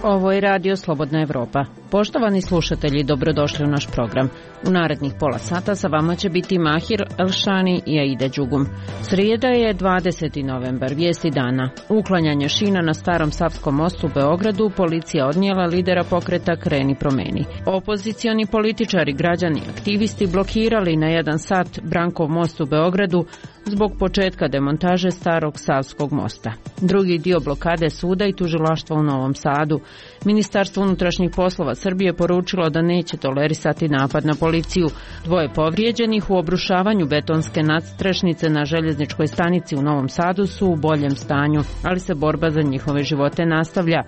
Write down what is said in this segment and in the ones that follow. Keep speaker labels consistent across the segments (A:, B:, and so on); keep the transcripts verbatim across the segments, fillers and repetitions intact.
A: Ovo je Radio Slobodna Evropa. Poštovani slušatelji, dobrodošli u naš program. U narednih pola sata sa vama će biti Mahir Elšani i Aida Đugum. Srijeda je dvadeseti novembar, vijesti dana. Uklanjanje šina na Starom Savskom mostu u Beogradu, policija odnijela lidera pokreta Kreni promeni. Opozicioni političari, građani, aktivisti blokirali na jedan sat Brankov most u Beogradu zbog početka demontaže Starog Savskog mosta. Drugi dio blokade suda i tužilaštva u Novom Sadu. Ministarstvo unutrašnjih poslova Srbije poručilo da neće tolerisati napad na policiju. Dvoje povrijeđenih u obrušavanju betonske nadstrešnice na željezničkoj stanici u Novom Sadu su u boljem stanju, ali se borba za njihove živote nastavlja.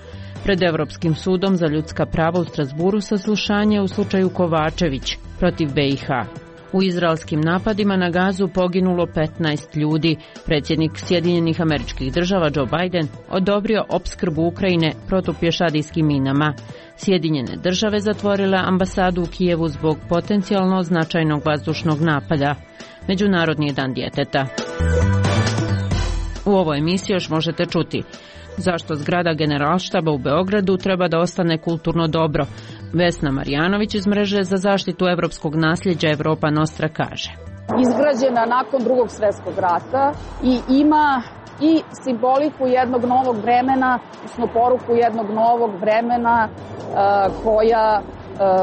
A: Pred Evropskim sudom za ljudska prava u Strasburu saslušanje u slučaju Kovačević protiv be i ha. U izraelskim napadima na Gazu poginulo petnaest ljudi. Predsjednik Sjedinjenih Američkih Država Joe Biden odobrio opskrbu Ukrajine protupješadijskim minama. Sjedinjene Države zatvorile ambasadu u Kijevu zbog potencijalno značajnog vazdušnog napada. Međunarodni dan djeteta. U ovoj emisiji još možete čuti zašto zgrada Generalštaba u Beogradu treba da ostane kulturno dobro. Vesna Marjanović iz mreže za zaštitu evropskog nasljeđa Evropa Nostra kaže:
B: izgrađena nakon drugog svjetskog rata i ima i simboliku jednog novog vremena, odnosno poruku jednog novog vremena koja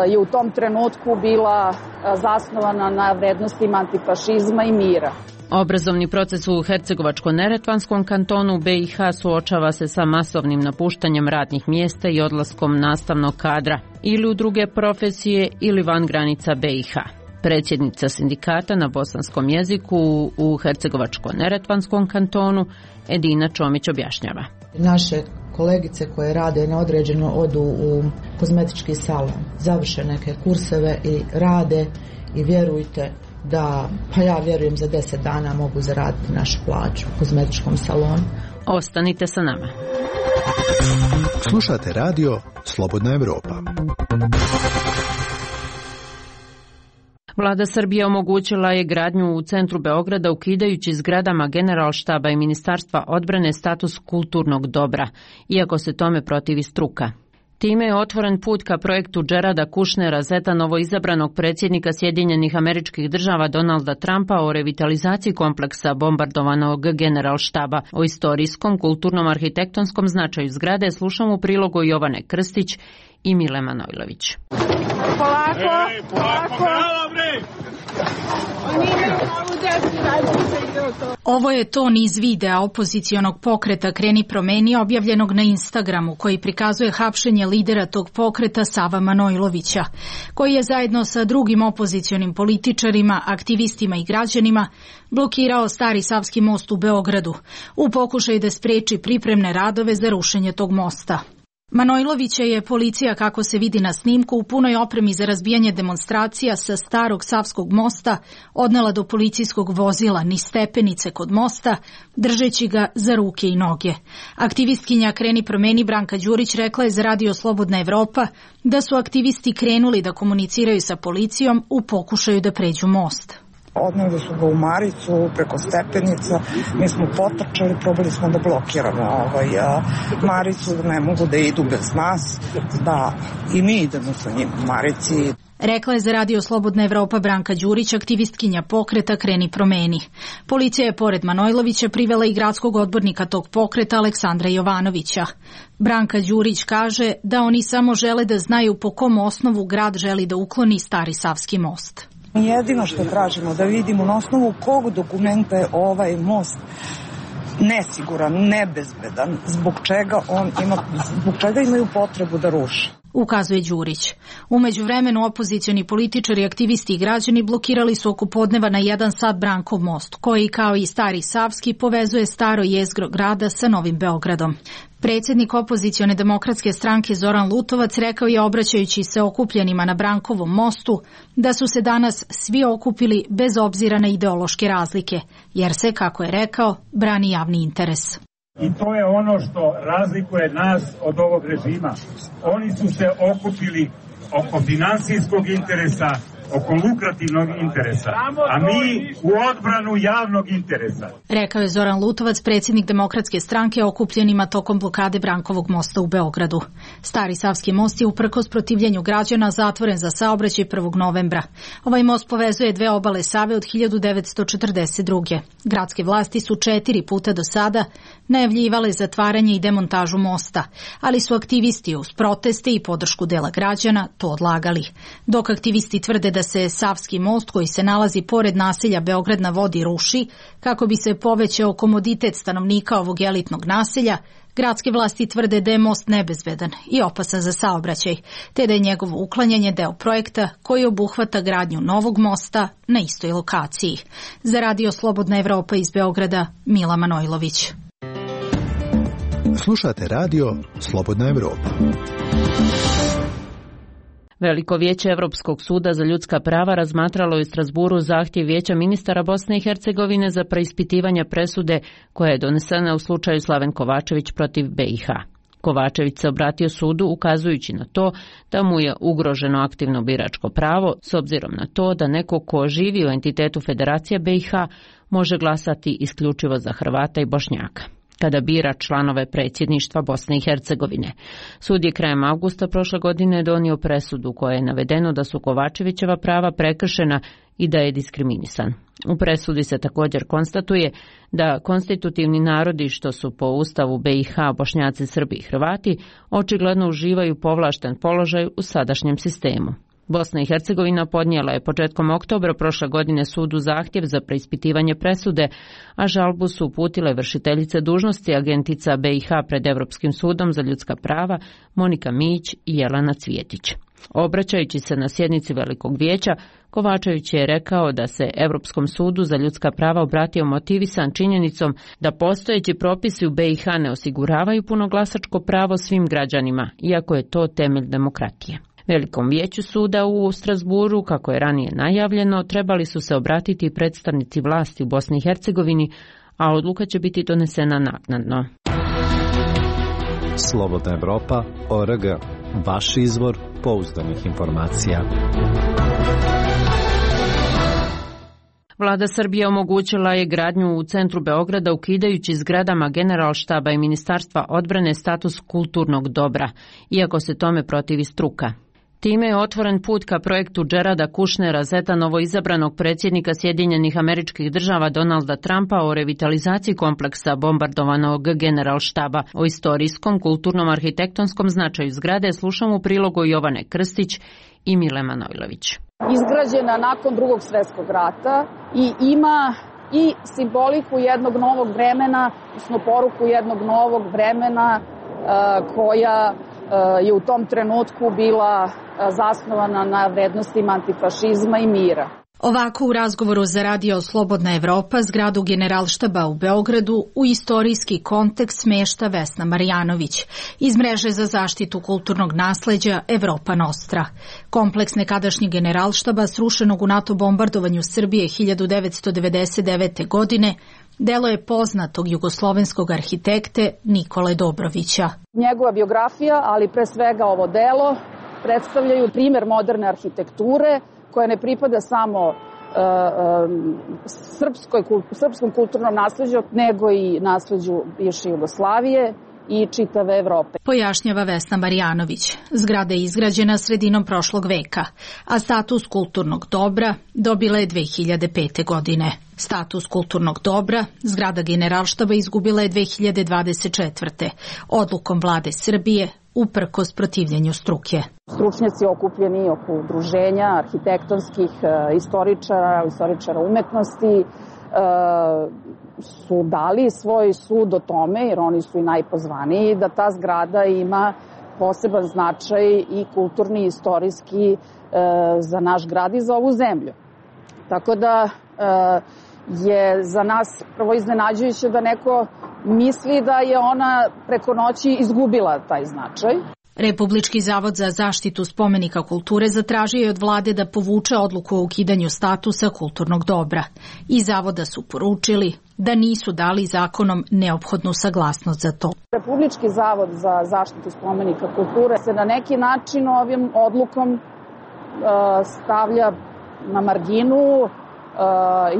B: je u tom trenutku bila zasnovana na vrednostima antifašizma i mira.
A: Obrazovni proces u Hercegovačko-neretvanskom kantonu be i ha suočava se sa masovnim napuštanjem radnih mjesta i odlaskom nastavnog kadra ili u druge profesije ili van granica be i ha. Predsjednica sindikata na bosanskom jeziku u Hercegovačko-neretvanskom kantonu Edina Čomić objašnjava.
C: Naše kolegice koje rade na određeno odu u kozmetički salon, završe neke kurseve i rade i vjerujte da, pa ja vjerujem za deset dana mogu zaraditi našu plaću u kozmetičkom salonu.
A: Ostanite sa nama.
D: Slušate radio Slobodna Evropa.
A: Vlada Srbije omogućila je gradnju u centru Beograda ukidajući zgradama Generalštaba i Ministarstva odbrane status kulturnog dobra, iako se tome protivi struka. Time je otvoren put ka projektu Gerarda Kušnera, zeta novoizabranog predsjednika Sjedinjenih Američkih Država Donalda Trumpa, o revitalizaciji kompleksa bombardovanog Generalštaba. O istorijskom, kulturnom, arhitektonskom značaju zgrade slušamo u prilogu Jovane Krstić i Mile Manojlović.
E: Polako, Ej, polako, polako.
F: Ovo je ton iz videa opozicionog pokreta Kreni promeni objavljenog na Instagramu, koji prikazuje hapšenje lidera tog pokreta Sava Manojlovića, koji je zajedno sa drugim opozicionim političarima, aktivistima i građanima blokirao Stari Savski most u Beogradu u pokušaju da spreči pripremne radove za rušenje tog mosta. Manojlovića je policija, kako se vidi na snimku, u punoj opremi za razbijanje demonstracija sa Starog Savskog mosta odnela do policijskog vozila niz stepenice kod mosta, držeći ga za ruke i noge. Aktivistkinja Kreni promeni Branka Đurić rekla je za Radio Slobodna Evropa da su aktivisti krenuli da komuniciraju sa policijom u pokušaju da pređu most.
E: Odneli su ga u Maricu preko stepenica, mi smo potrčali, probali smo da blokiramo ovaj, a, Maricu, da ne mogu da idu bez nas, da i mi idemo sa njim u Marici.
F: Rekla je za Radio Slobodna Evropa Branka Đurić, aktivistkinja pokreta Kreni promeni. Policija je pored Manojlovića privela i gradskog odbornika tog pokreta Aleksandra Jovanovića. Branka Đurić kaže da oni samo žele da znaju po kom osnovu grad želi da ukloni Stari Savski most.
E: Jedino što tražimo da vidimo na osnovu kog dokumenta je ovaj most nesiguran, nebezbedan, zbog čega on ima, zbog čega imaju potrebu da ruše.
F: Ukazuje Đurić. U međuvremenu opozicioni političari, aktivisti i građani blokirali su oko podneva na jedan sat Brankov most, koji kao i Stari Savski povezuje staro jezgro grada sa Novim Beogradom. Predsjednik opozicione demokratske stranke Zoran Lutovac rekao je, obraćajući se okupljenima na Brankovom mostu, da su se danas svi okupili bez obzira na ideološke razlike, jer se, kako je rekao, brani javni interes.
G: I to je ono što razlikuje nas od ovog režima. Oni su se okupili oko finansijskog interesa, oko lukrativnog interesa, a mi u odbranu javnog interesa.
F: Rekao je Zoran Lutovac, predsjednik Demokratske stranke, okupljenima tokom blokade Brankovog mosta u Beogradu. Stari Savski most je uprkos protivljenju građana zatvoren za saobraćaj prvog novembra. Ovaj most povezuje dve obale Save od hiljadu devetsto četrdeset druge. Gradske vlasti su četiri puta do sada najavljivale zatvaranje i demontažu mosta, ali su aktivisti uz proteste i podršku dela građana to odlagali. Dok aktivisti tvrde da se Savski most koji se nalazi pored naselja Beograd na vodi ruši kako bi se povećao komoditet stanovnika ovog elitnog naselja, gradske vlasti tvrde da je most nebezbedan i opasan za saobraćaj, te da je njegovo uklanjanje deo projekta koji obuhvata gradnju novog mosta na istoj lokaciji. Za Radio Slobodna Evropa iz Beograda, Mila Manojlović.
D: Slušate radio Slobodna Evropa.
A: Veliko vijeće Evropskog suda za ljudska prava razmatralo je u Strasburu zahtjev Vijeća ministara Bosne i Hercegovine za preispitivanje presude koja je donesena u slučaju Slaven Kovačević protiv B i H. Kovačević se obratio sudu ukazujući na to da mu je ugroženo aktivno biračko pravo s obzirom na to da neko ko živi u entitetu Federacije B i H može glasati isključivo za Hrvata i Bošnjaka kada bira članove predsjedništva Bosne i Hercegovine. Sud je krajem avgusta prošle godine donio presudu koja je navedeno da su Kovačevićeva prava prekršena i da je diskriminisan. U presudi se također konstatuje da konstitutivni narodi, što su po Ustavu B i H Bošnjaci, Srbi i Hrvati, očigledno uživaju povlašten položaj u sadašnjem sistemu. Bosna i Hercegovina podnijela je početkom oktobra prošle godine sudu zahtjev za preispitivanje presude, a žalbu su uputile vršiteljice dužnosti agentica B i H pred Evropskim sudom za ljudska prava Monika Mijić i Jelena Cvjetić. Obraćajući se na sjednici Velikog vijeća, Kovačević je rekao da se Evropskom sudu za ljudska prava obratio motivisan činjenicom da postojeći propisi u B i H ne osiguravaju punoglasačko pravo svim građanima, iako je to temelj demokratije. Velikom vijeću suda u Strasburu, kako je ranije najavljeno, trebali su se obratiti predstavnici vlasti u Bosni i Hercegovini, a odluka će biti donesena naknadno.
H: Slobodna Evropa, O R G, vaš izvor pouzdanih informacija.
A: Vlada Srbije omogućila je gradnju u centru Beograda ukidajući zgradama Generalštaba i Ministarstva odbrane status kulturnog dobra, iako se tome protivi struka. Time je otvoren put ka projektu Gerarda Kušnera, zeta novoizabranog predsjednika Sjedinjenih Američkih Država Donalda Trumpa, o revitalizaciji kompleksa bombardovanog Generalštaba. O istorijskom, kulturnom, arhitektonskom značaju zgrade slušamo u prilogu Jovane Krstić i Mile Manojlović.
B: Izgrađena nakon Drugog svjetskog rata i ima i simboliku jednog novog vremena, odnosno poruku jednog novog vremena koja je u tom trenutku bila zasnovana na vrednostima antifašizma i mira.
F: Ovako u razgovoru za Radio Slobodna Evropa zgradu Generalštaba u Beogradu u istorijski kontekst smješta Vesna Marjanović iz mreže za zaštitu kulturnog nasleđa Evropa Nostra. Kompleks nekadašnjeg Generalštaba srušenog u NATO bombardovanju Srbije hiljadu devetsto devedeset devete. godine delo je poznatog jugoslovenskog arhitekte Nikole Dobrovića.
B: Njegova biografija, ali pre svega ovo delo, predstavljaju primjer moderne arhitekture koja ne pripada samo uh, um, srpskoj, srpskom kulturnom nasleđu, nego i nasleđu bivše Jugoslavije i čitave Evrope.
F: Pojašnjava Vesna Marjanović. Zgrada je izgrađena sredinom prošlog veka, a status kulturnog dobra dobila je dve hiljade pete. godine. Status kulturnog dobra zgrada Generalštaba izgubila je dve hiljade dvadeset četvrte. odlukom vlade Srbije uprkos protivljenju struke.
B: Stručnjaci okupljeni oko udruženja arhitektonskih istoričara, istoričara umetnosti su dali svoj sud o tome, jer oni su i najpozvaniji, da ta zgrada ima poseban značaj i kulturni i istorijski za naš grad i za ovu zemlju. Tako da je za nas prvo iznenađujuće da neko misli da je ona preko noći izgubila taj značaj.
F: Republički zavod za zaštitu spomenika kulture zatražio je od vlade da povuče odluku o ukidanju statusa kulturnog dobra. I zavoda su poručili da nisu dali zakonom neophodnu saglasnost za to.
B: Republički zavod za zaštitu spomenika kulture se na neki način ovim odlukom stavlja na marginu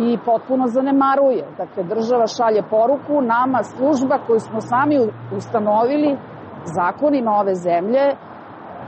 B: i potpuno zanemaruje. Dakle, država šalje poruku nama, služba koju smo sami ustanovili zakonima ove zemlje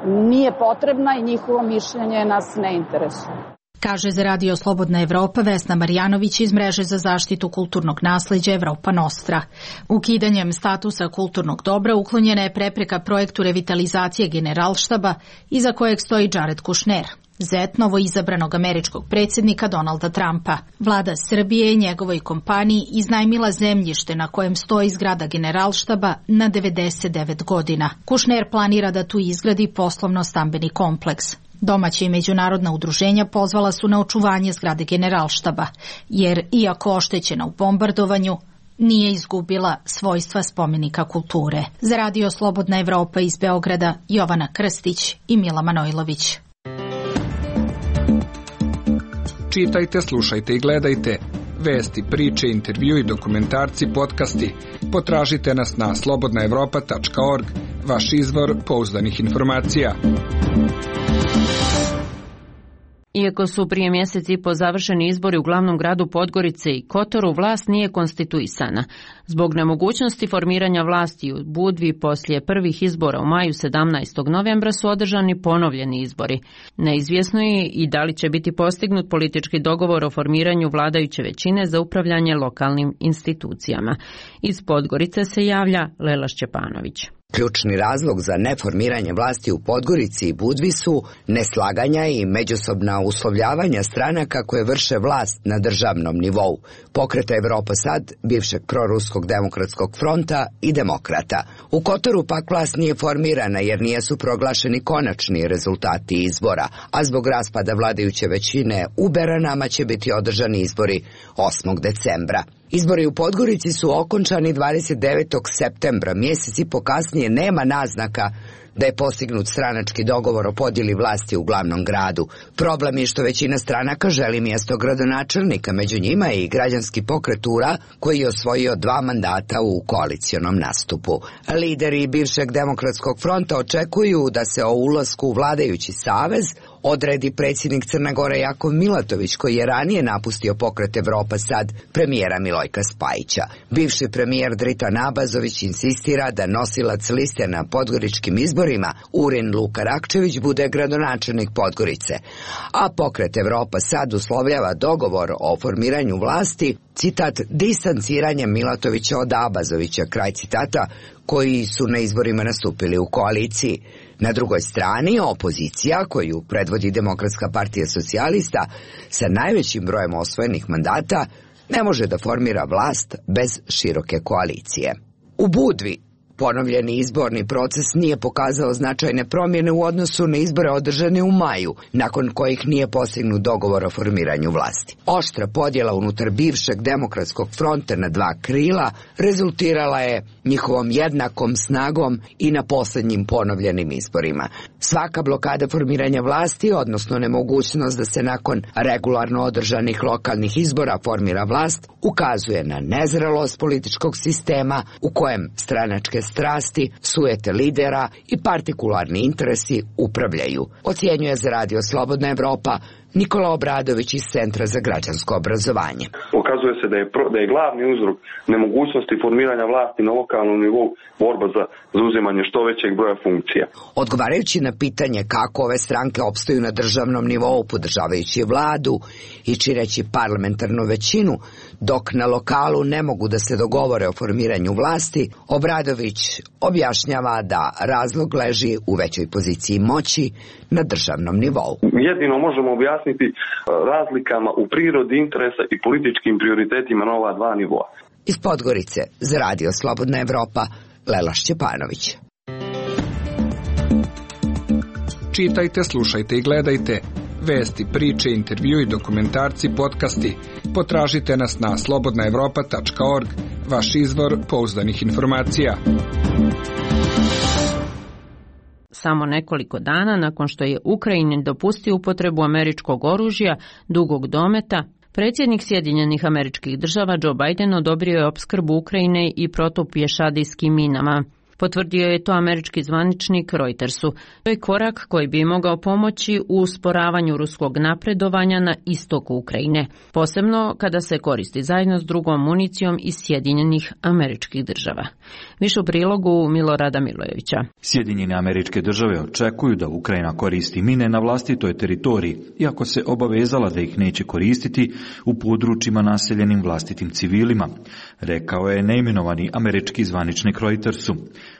B: nije potrebna i njihovo mišljenje nas ne interesuje.
F: Kaže za Radio Slobodna Evropa Vesna Marjanović iz Mreže za zaštitu kulturnog nasleđa Evropa Nostra. Ukidanjem statusa kulturnog dobra uklonjena je prepreka projektu revitalizacije Generalštaba iza kojeg stoji Jared Kushner, zet novoizabranog američkog predsjednika Donalda Trumpa. Vlada Srbije i njegovoj kompaniji iznajmila zemljište na kojem stoji zgrada Generalštaba na devedeset devet godina. Kushner planira da tu izgradi poslovno-stambeni kompleks. Domaća i međunarodna udruženja pozvala su na očuvanje zgrade Generalštaba, jer iako oštećena u bombardovanju, nije izgubila svojstva spomenika kulture. Za Radio Slobodna Evropa iz Beograda Jovana Krstić i Mila Manojlović.
I: Čitajte, slušajte i gledajte vesti, priče, intervju i dokumentarci, podcasti. Potražite nas na slobodna evropa tačka org, vaš izvor pouzdanih informacija.
A: Iako su prije mjesec i po završeni izbori u glavnom gradu Podgorice i Kotoru, vlast nije konstituisana. Zbog nemogućnosti formiranja vlasti u Budvi poslije prvih izbora u maju sedamnaestog novembra su održani ponovljeni izbori. Neizvjesno je i da li će biti postignut politički dogovor o formiranju vladajuće većine za upravljanje lokalnim institucijama. Iz Podgorice se javlja Lela Šćepanović.
J: Ključni razlog za neformiranje vlasti u Podgorici i Budvi su neslaganja i međusobna uslovljavanja stranaka koje vrše vlast na državnom nivou, Pokreta Evropa Sad, bivšeg proruskog demokratskog fronta i demokrata. U Kotoru pak vlast nije formirana jer nisu proglašeni konačni rezultati izbora, a zbog raspada vladajuće većine u Beranama će biti održani izbori osmog decembra. Izbori u Podgorici su okončani dvadeset devetog septembra, mjesec i po kasnije nema naznaka da je postignut stranački dogovor o podjeli vlasti u glavnom gradu. Problem je što većina stranaka želi mjesto gradonačelnika, među njima i građanski pokret U R A koji je osvojio dva mandata u koalicionom nastupu. Lideri bivšeg demokratskog fronta očekuju da se o ulasku u vladajući savez odredi predsjednik Crne Gore Jakov Milatović, koji je ranije napustio Pokret Evropa Sad premijera Milojka Spajića. Bivši premijer Dritan Abazović insistira da nosilac liste na podgoričkim izborima Urin Luka Rakčević bude gradonačelnik Podgorice, a Pokret Evropa Sad uslovljava dogovor o formiranju vlasti, citat, distanciranjem Milatovića od Abazovića, kraj citata, koji su na izborima nastupili u koaliciji. Na drugoj strani, opozicija, koju predvodi Demokratska partija socijalista, sa najvećim brojem osvojenih mandata, ne može da formira vlast bez široke koalicije. U Budvi ponovljeni izborni proces nije pokazao značajne promjene u odnosu na izbore održane u maju, nakon kojih nije postignut dogovor o formiranju vlasti. Oštra podjela unutar bivšeg demokratskog fronta na dva krila rezultirala je njihovom jednakom snagom i na posljednjim ponovljenim izborima. Svaka blokada formiranja vlasti, odnosno nemogućnost da se nakon regularno održanih lokalnih izbora formira vlast, ukazuje na nezrelost političkog sistema u kojem stranačke strasti, sujete lidera i partikularni interesi upravljaju, ocjenjuje za Radio Slobodna Evropa Nikola Obradović iz Centra za građansko obrazovanje.
K: Okazuje se da je, pro, da je glavni uzrok nemogućnosti formiranja vlasti na lokalnom nivou borba za zauzimanje što većeg broja funkcija.
J: Odgovarajući na pitanje kako ove stranke opstaju na državnom nivou podržavajući vladu i čineći parlamentarnu većinu, dok na lokalu ne mogu da se dogovore o formiranju vlasti, Obradović objašnjava da razlog leži u većoj poziciji moći na državnom nivou.
K: Jedino možemo objasniti razlikama u prirodi interesa i političkim prioritetima na ova dva nivoa.
J: Iz Podgorice za Radio Slobodna Evropa, Lela Šćepanović.
I: Čitajte, slušajte i gledajte vesti, priče, intervju i dokumentarci, podcasti. Potražite nas na slobodna evropa tačka org, vaš izvor pouzdanih informacija.
A: Samo nekoliko dana nakon što je Ukrajini dopustio upotrebu američkog oružja dugog dometa, predsjednik Sjedinjenih Američkih Država Joe Biden odobrio je opskrbu Ukrajine i protupješadijskim minama. Potvrdio je to američki zvaničnik Reutersu. To je korak koji bi mogao pomoći u usporavanju ruskog napredovanja na istoku Ukrajine, posebno kada se koristi zajedno s drugom municijom iz Sjedinjenih Američkih Država. Više u prilogu Milorada Milojevića.
L: Sjedinjene Američke Države očekuju da Ukrajina koristi mine na vlastitoj teritoriji, iako se obavezala da ih neće koristiti u područjima naseljenim vlastitim civilima, rekao je neimenovani američki zvaničnik Reutersu.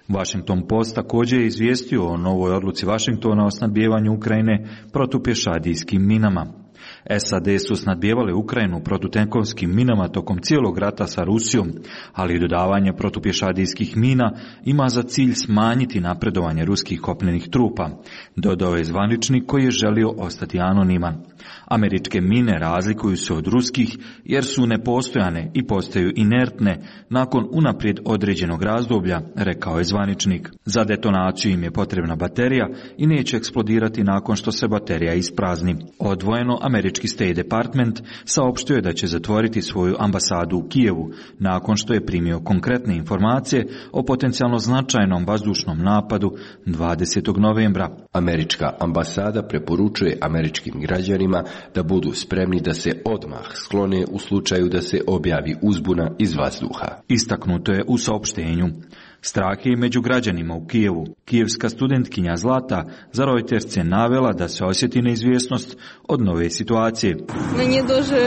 L: Washington Post također je izvijestio o novoj odluci Washingtona o snabdijevanju Ukrajine protupješadijskim minama. S A D su snabdijevale Ukrajinu protutenkovskim minama tokom cijelog rata sa Rusijom, ali dodavanje protupješadijskih mina ima za cilj smanjiti napredovanje ruskih kopnenih trupa, dodao je zvaničnik koji je želio ostati anoniman. Američke mine razlikuju se od ruskih jer su nepostojane i postaju inertne nakon unaprijed određenog razdoblja, rekao je zvaničnik. Za detonaciju im je potrebna baterija i neće eksplodirati nakon što se baterija isprazni. Odvojeno, američki State Department saopštio je da će zatvoriti svoju ambasadu u Kijevu nakon što je primio konkretne informacije o potencijalno značajnom vazdušnom napadu dvadesetog novembra.
M: Američka ambasada preporučuje američkim građanima da budu spremni da se odmah sklone u slučaju da se objavi uzbuna iz vazduha.
L: Istaknuto je u saopštenju. Strah je i među građanima u Kijevu. Kijevska studentkinja Zlata za Reuters je navela da se osjeti neizvjesnost od nove situacije.
N: Meni дуже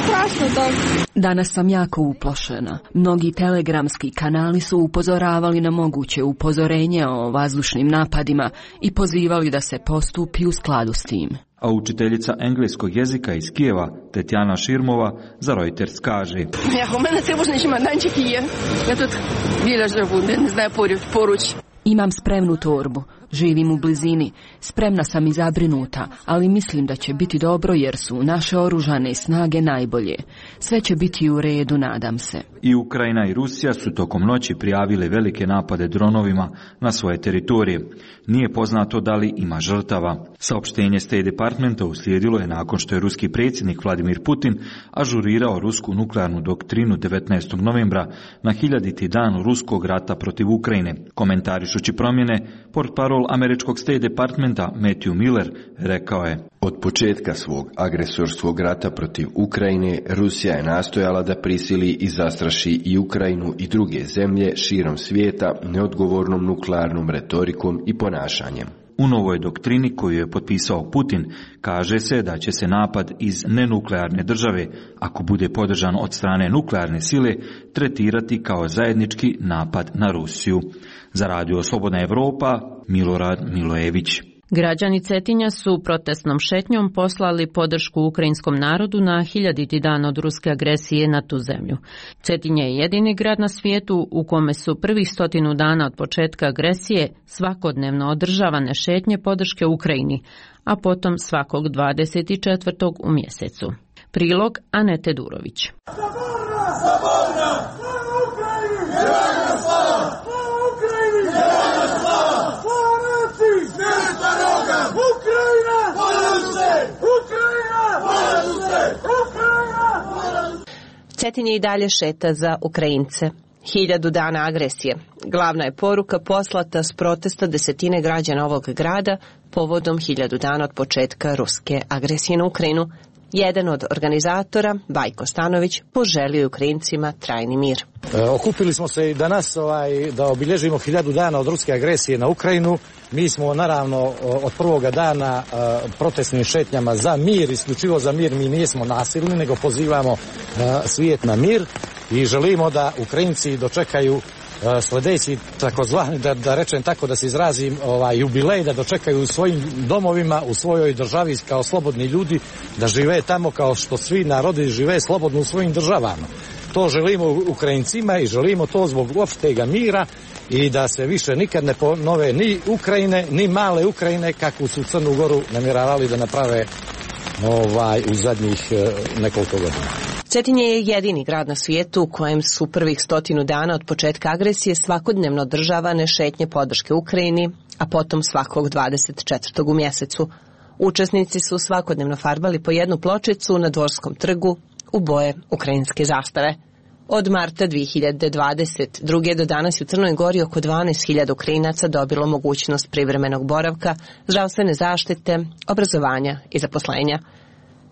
N: strašno da.
O: Danas sam jako uplošena. Mnogi telegramski kanali su upozoravali na moguće upozorenje o vazdušnim napadima i pozivali da se postupi u skladu s tim.
L: A učiteljica engleskog jezika iz Kijeva, Tetjana Širmova, za Reuters kaže:
P: Ja, u mene trijebožni čemadančik je. Ja тут біля живу, не знаю, поруч.
O: Imam spremnu torbu, živim u blizini, spremna sam i zabrinuta, ali mislim da će biti dobro jer su naše oružane snage najbolje. Sve će biti u redu, nadam se.
L: I Ukrajina i Rusija su tokom noći prijavile velike napade dronovima na svoje teritorije. Nije poznato da li ima žrtava. Saopštenje State Departmenta uslijedilo je nakon što je ruski predsjednik Vladimir Putin ažurirao rusku nuklearnu doktrinu devetnaestog novembra na hiljaditi dan ruskog rata protiv Ukrajine. Komentarišući promjene, portparol američkog State Departmenta Matthew Miller rekao je:
M: Od početka svog agresorskog rata protiv Ukrajine, Rusija je nastojala da prisili i zastraši i Ukrajinu i druge zemlje širom svijeta neodgovornom nuklearnom retorikom i ponašanjem.
L: U novoj doktrini koju je potpisao Putin kaže se da će se napad iz nenuklearne države, ako bude podržan od strane nuklearne sile, tretirati kao zajednički napad na Rusiju. Za Radio Slobodna Evropa, Milorad Milojević.
A: Građani Cetinja su protestnom šetnjom poslali podršku ukrajinskom narodu na hiljaditi dan od ruske agresije na tu zemlju. Cetinje je jedini grad na svijetu u kome su prvih stotinu dana od početka agresije svakodnevno održavane šetnje podrške Ukrajini, a potom svakog dvadeset četvrtog u mjesecu. Prilog Anete Durović.
Q: Cetinje i dalje šeta za Ukrajince. Hiljadu dana agresije. Glavna je poruka poslata s protesta desetine građana ovog grada povodom hiljadu dana od početka ruske agresije na Ukrajinu. Jedan od organizatora, Bajko Stanović, poželio je Ukrajincima trajni mir.
R: E, okupili smo se i danas ovaj, da obilježimo hiljadu dana od ruske agresije na Ukrajinu. Mi smo naravno od prvoga dana e, protestnim šetnjama za mir, isključivo za mir. Mi nismo nasilni, nego pozivamo e, svijet na mir i želimo da Ukrajinci dočekaju sljedeći takozvani, da, da rečem tako, da se izrazim, ovaj, jubilej, da dočekaju u svojim domovima, u svojoj državi kao slobodni ljudi, da žive tamo kao što svi narodi žive slobodno u svojim državama. To želimo Ukrajincima i želimo to zbog opštega mira i da se više nikad ne ponove ni Ukrajine, ni male Ukrajine kakvu su Crnu Goru namjeravali da naprave ovaj, u zadnjih nekoliko godina.
Q: Cetinje je jedini grad na svijetu u kojem su prvih stotinu dana od početka agresije svakodnevno održavane šetnje podrške Ukrajini, a potom svakog dvadeset četvrtog u mjesecu. Učesnici su svakodnevno farbali po jednu pločicu na Dvorskom trgu u boje ukrajinske zastave. Od marta dve hiljade dvadeset druge do danas u Crnoj Gori oko dvanaest hiljada Ukrajinaca dobilo mogućnost privremenog boravka, zdravstvene zaštite, obrazovanja i zaposlenja.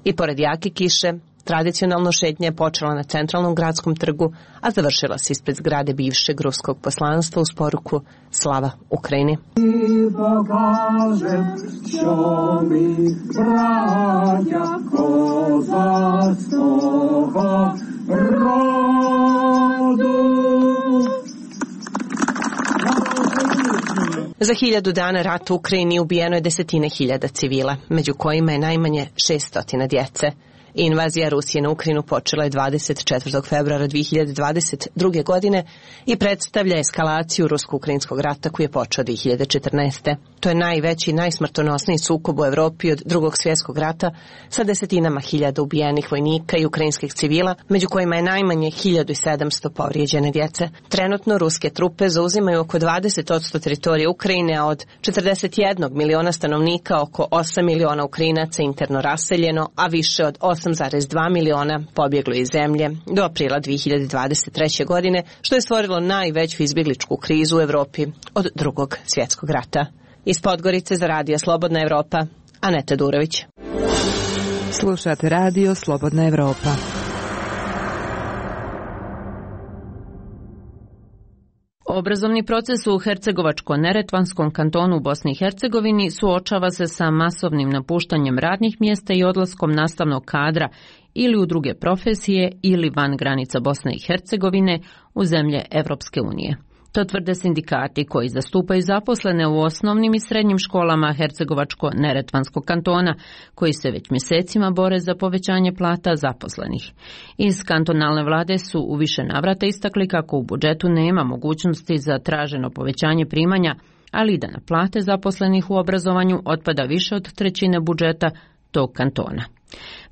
Q: I pored jake kiše, tradicionalno šetnja je počela na centralnom gradskom trgu, a završila se ispred zgrade bivšeg ruskog poslanstva uz poruku Slava Ukrajini. Za hiljadu dana rata u Ukrajini ubijeno je desetine hiljada civila, među kojima je najmanje šeststotina djece. Invazija Rusije na Ukrajinu počela je dvadeset četvrtog februara dve hiljade dvadeset druge. godine i predstavlja eskalaciju rusko-ukrajinskog rata koji je počeo dve hiljade četrnaeste. To je najveći i najsmrtonosniji sukob u Evropi od drugog svjetskog rata sa desetinama hiljada ubijenih vojnika i ukrajinskih civila, među kojima je najmanje hiljadu sedamsto povrijeđene djece. Trenutno ruske trupe zauzimaju oko dvadeset posto teritorije Ukrajine, a od četrdeset jednog miliona stanovnika oko osam miliona Ukrajinaca interno raseljeno, a više od osam zarez dva miliona pobjeglo iz zemlje do aprila dve hiljade dvadeset treće. godine, što je stvorilo najveću izbjegličku krizu u Evropi od drugog svjetskog rata. Iz Podgorice za Radio Slobodna Evropa, Aneta Durović.
S: Slušate Radio Slobodna Evropa.
A: Obrazovni proces u Hercegovačko-Neretvanskom kantonu u Bosni i Hercegovini suočava se sa masovnim napuštanjem radnih mjesta i odlaskom nastavnog kadra ili u druge profesije ili van granica Bosne i Hercegovine u zemlje Evropske unije. To tvrde sindikati koji zastupaju zaposlene u osnovnim i srednjim školama Hercegovačko-Neretvanskog kantona, koji se već mjesecima bore za povećanje plata zaposlenih. Iz kantonalne vlade su u više navrata istakli kako u budžetu nema mogućnosti za traženo povećanje primanja, ali i da na plate zaposlenih u obrazovanju otpada više od trećine budžeta tog kantona.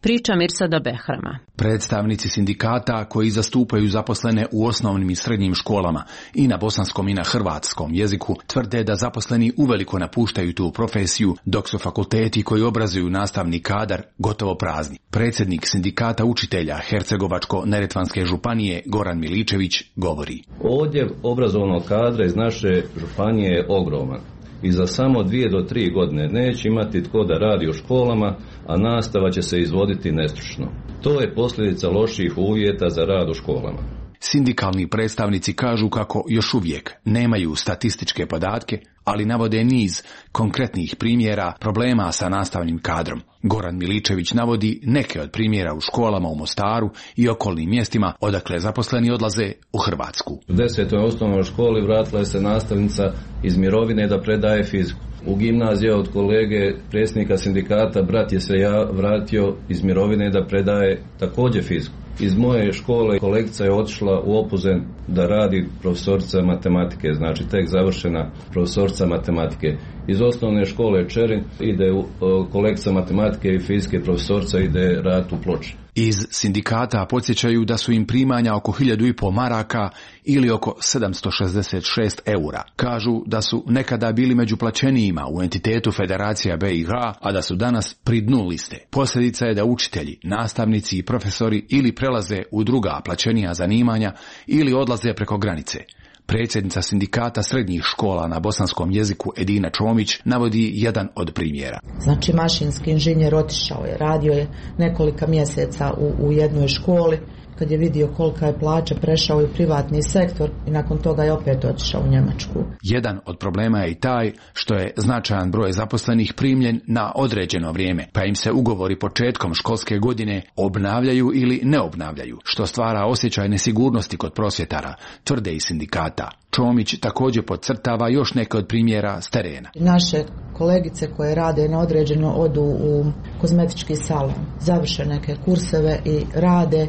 A: Priča Mirsada Behrama.
T: Predstavnici sindikata koji zastupaju zaposlene u osnovnim i srednjim školama i na bosanskom i na hrvatskom jeziku tvrde da zaposleni uveliko napuštaju tu profesiju, dok su fakulteti koji obrazuju nastavni kadar gotovo prazni. Predsjednik sindikata učitelja Hercegovačko-Neretvanske županije Goran Miličević govori:
U: Odljev obrazovnog kadra iz naše županije je ogroman. I za samo dvije do tri godine neće imati tko da radi u školama, a nastava će se izvoditi nestručno. To je posljedica loših uvjeta za rad u školama.
T: Sindikalni predstavnici kažu kako još uvijek nemaju statističke podatke, ali navode niz konkretnih primjera problema sa nastavnim kadrom. Goran Miličević navodi neke od primjera u školama u Mostaru i okolnim mjestima odakle zaposleni odlaze u Hrvatsku.
U: U desetoj osnovnoj školi vratila je se nastavnica iz mirovine da predaje fiziku. U gimnaziji od kolege predsjednika sindikata brat je se ja vratio iz mirovine da predaje također fiziku. Iz moje škole kolegica je otišla u Opuzen da radi profesorica matematike, znači tek završena profesorica matematike. Iz osnovne škole Čerin ide u, kolegica matematike i fizike profesorica ide raditi u Ploče.
T: Iz sindikata podsjećaju da su im primanja oko hiljadu i pol maraka ili oko sedamsto šezdeset šest eura. Kažu da su nekada bili među plaćenijima u entitetu Federacija B i H, a da su danas pri dnu liste. Posljedica je da učitelji, nastavnici i profesori ili prelaze u druga plaćenija zanimanja ili odlaze preko granice. Predsjednica sindikata srednjih škola na bosanskom jeziku Edina Čomić navodi jedan od primjera.
C: Znači mašinski inženjer otišao je, radio je nekolika mjeseca u, u jednoj školi, kad je vidio kolika je plaća, prešao je u privatni sektor i nakon toga je opet otišao u Njemačku.
T: Jedan od problema je i taj što je značajan broj zaposlenih primljen na određeno vrijeme, pa im se ugovori početkom školske godine obnavljaju ili ne obnavljaju, što stvara osjećaj nesigurnosti kod prosvjetara, tvrde i sindikata. Čomić također podcrtava još neke od primjera s terena.
C: Naše kolegice koje rade na određeno odu u kozmetički salon, završe neke kurseve i rade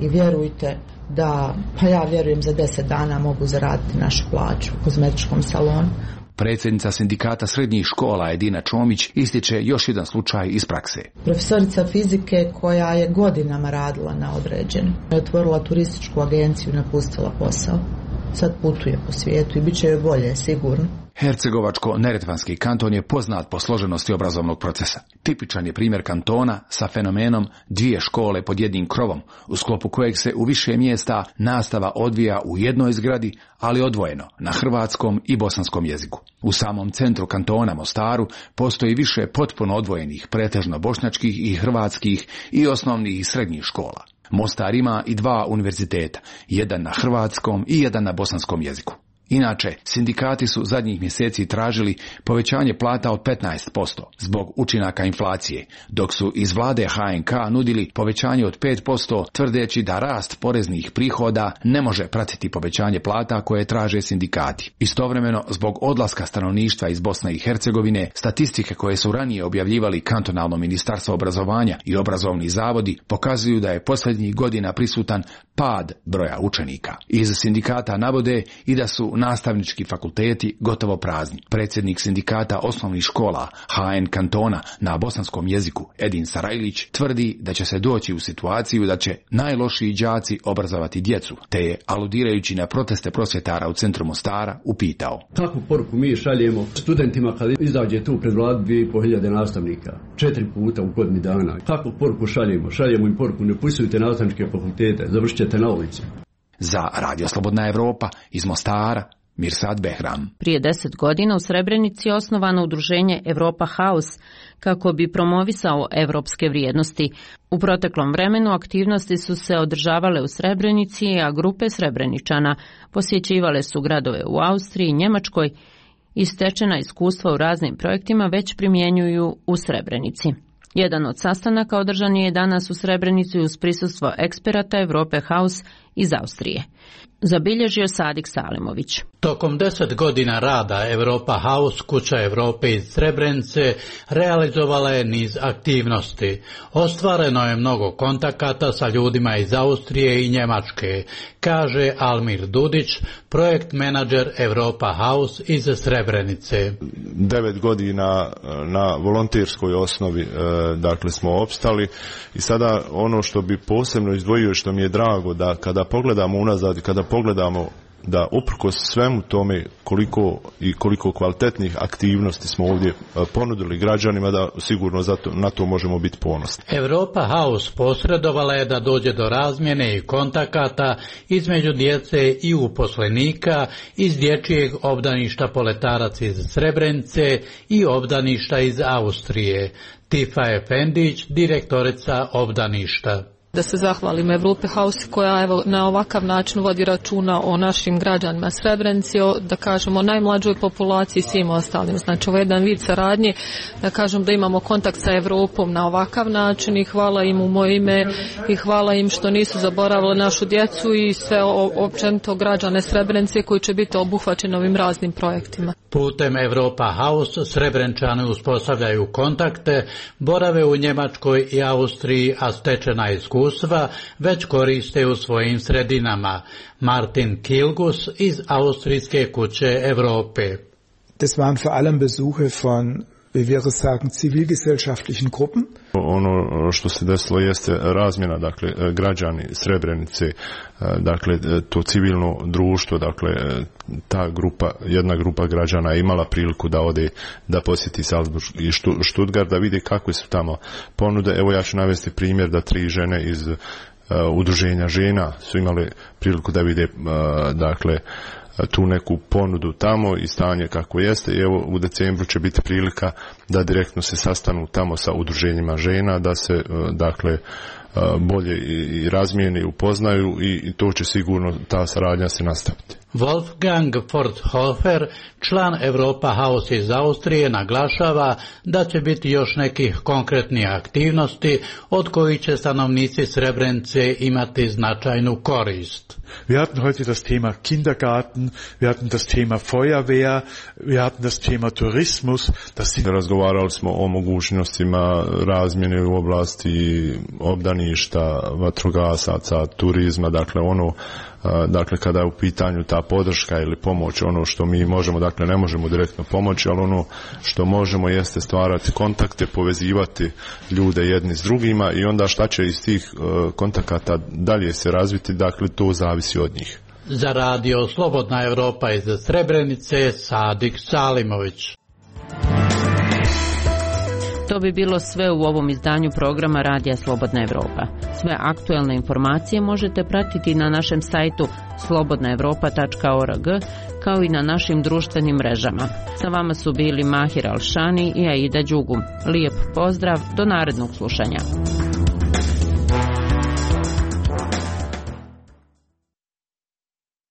C: i vjerujte da, pa ja vjerujem za deset dana mogu zaraditi našu plaću u kozmetičkom salonu.
T: Predsjednica sindikata srednjih škola Edina Čomić ističe još jedan slučaj iz prakse.
C: Profesorica fizike koja je godinama radila na određeno, je otvorila turističku agenciju i napustila posao. sad putuje po svijetu i bit će joj bolje, sigurno.
T: Hercegovačko-neretvanski kanton je poznat po složenosti obrazovnog procesa. Tipičan je primjer kantona sa fenomenom dvije škole pod jednim krovom, u sklopu kojeg se u više mjesta nastava odvija u jednoj zgradi, ali odvojeno, na hrvatskom i bosanskom jeziku. U samom centru kantona Mostaru postoji više potpuno odvojenih, pretežno bošnjačkih i hrvatskih i osnovnih i srednjih škola. Mostar ima i dva univerziteta, jedan na hrvatskom i jedan na bosanskom jeziku. Inače, sindikati su zadnjih mjeseci tražili povećanje plata od petnaest posto zbog učinaka inflacije, dok su iz vlade H N K nudili povećanje od pet posto, tvrdeći da rast poreznih prihoda ne može pratiti povećanje plata koje traže sindikati. Istovremeno, zbog odlaska stanovništva iz Bosne i Hercegovine, statistike koje su ranije objavljivali kantonalno ministarstvo obrazovanja i obrazovni zavodi pokazuju da je posljednjih godina prisutan pad broja učenika. Iz sindikata navode i da su nastavnički fakulteti gotovo prazni. Predsjednik sindikata osnovnih škola H N kantona na bosanskom jeziku Edin Sarajlić tvrdi da će se doći u situaciju da će najlošiji đaci obrazovati djecu, te je, aludirajući na proteste prosvjetara u centru Mostara, upitao:
E: kakvu poruku mi šaljemo studentima kad izađe tu pred vladu dvije i pol hiljade nastavnika, četiri puta u godini dana? Kakvu poruku šaljemo? Šaljemo im poruku: ne upisujte nastavničke fakultete, završit ćete na ulici.
T: Za Radio Slobodna Evropa iz Mostara, Mirsad Behram.
A: Prije deset godina u Srebrenici je osnovano udruženje Europa House kako bi promovisao evropske vrijednosti. U proteklom vremenu aktivnosti su se održavale u Srebrenici, a grupe Srebreničana posjećivale su gradove u Austriji i Njemačkoj i stečena iskustva u raznim projektima već primjenjuju u Srebrenici. Jedan od sastanaka održan je danas u Srebrenici uz prisustvo eksperata Europe House iz Austrije. Zabilježio Sadik Salimović.
V: Tokom deset godina rada Europa House, kuća Europe iz Srebrenice, realizovala je niz aktivnosti. Ostvareno je mnogo kontakata sa ljudima iz Austrije i Njemačke, kaže Almir Dudić, projekt menadžer Europa House iz Srebrenice.
W: Devet godina na volonterskoj osnovi dakle smo opstali i sada ono što bi posebno izdvojio, što mi je drago, da kada pogledamo unazad, kada pogledamo da uprkos svemu tome koliko i koliko kvalitetnih aktivnosti smo ovdje ponudili građanima, da sigurno zato, na to možemo biti ponosni.
V: Europa House posredovala je da dođe do razmjene i kontakata između djece i uposlenika iz dječjeg obdaništa Poletarac iz Srebrenice i obdaništa iz Austrije. Tifa Efendić, direktorica obdaništa.
X: Da se zahvalim Europe House koja evo na ovakav način vodi računa o našim građanima Srebrenici, o, da kažemo, najmlađoj populaciji i svim ostalim. Znači ovo je jedan vid saradnje, da kažem da imamo kontakt sa Europom na ovakav način i hvala im u moje ime i hvala im što nisu zaboravili našu djecu i sve općenito građane Srebrenice koji će biti obuhvaćeni ovim raznim projektima.
V: Putem Europa House Srebrenčani uspostavljaju kontakte, borave u Njemačkoj i Austriji, a stečena iskustva već koriste u svojim sredinama. Martin Kilgus iz Austrijske kuće Europe.
Y: Das waren vor allem Besuche von, wie wir sagen, zivilgesellschaftlichen Gruppen.
W: Ono što se desilo jeste razmjena, dakle, građani Srebrenice, dakle, to civilno društvo, dakle, ta grupa, jedna grupa građana je imala priliku da ode, da posjeti Salzburg i Stuttgart, da vidi kakve su tamo ponude. Evo ja ću navesti primjer da tri žene iz uh, udruženja žena su imale priliku da vide, uh, dakle, tu neku ponudu tamo i stanje kako jeste. I evo u decembru će biti prilika da direktno se sastanu tamo sa udruženjima žena, da se dakle bolje i razmijene i upoznaju i to će sigurno ta saradnja se nastaviti.
V: Wolfgang Forthofer, član Europa House iz Austrije, naglašava da će biti još nekih konkretnih aktivnosti od kojih će stanovnici Srebrenice imati značajnu korist.
Z: Wir hatten heute das Thema Kindergarten, wir hatten das Thema Feuerwehr, wir hatten das Thema Tourismus. Das sind...
W: Razgovarali smo o mogućnostima razmjene u oblasti obdaništa, vatrogasaca, turizma, dakle ono, dakle kada je u pitanju ta podrška ili pomoć, ono što mi možemo, dakle ne možemo direktno pomoći, ali ono što možemo jeste stvarati kontakte, povezivati ljude jedni s drugima i onda šta će iz tih kontakata dalje se razviti, dakle to zavisi od njih.
V: Za radio Slobodna Evropa iz Srebrenice, Sadik Salimović.
A: To bi bilo sve u ovom izdanju programa Radija Slobodna Evropa. Sve aktuelne informacije možete pratiti na našem sajtu slobodna evropa tačka org, kao i na našim društvenim mrežama. Sa vama su bili Mahir Alšani i Aida Đugum. Lijep pozdrav, do narednog slušanja.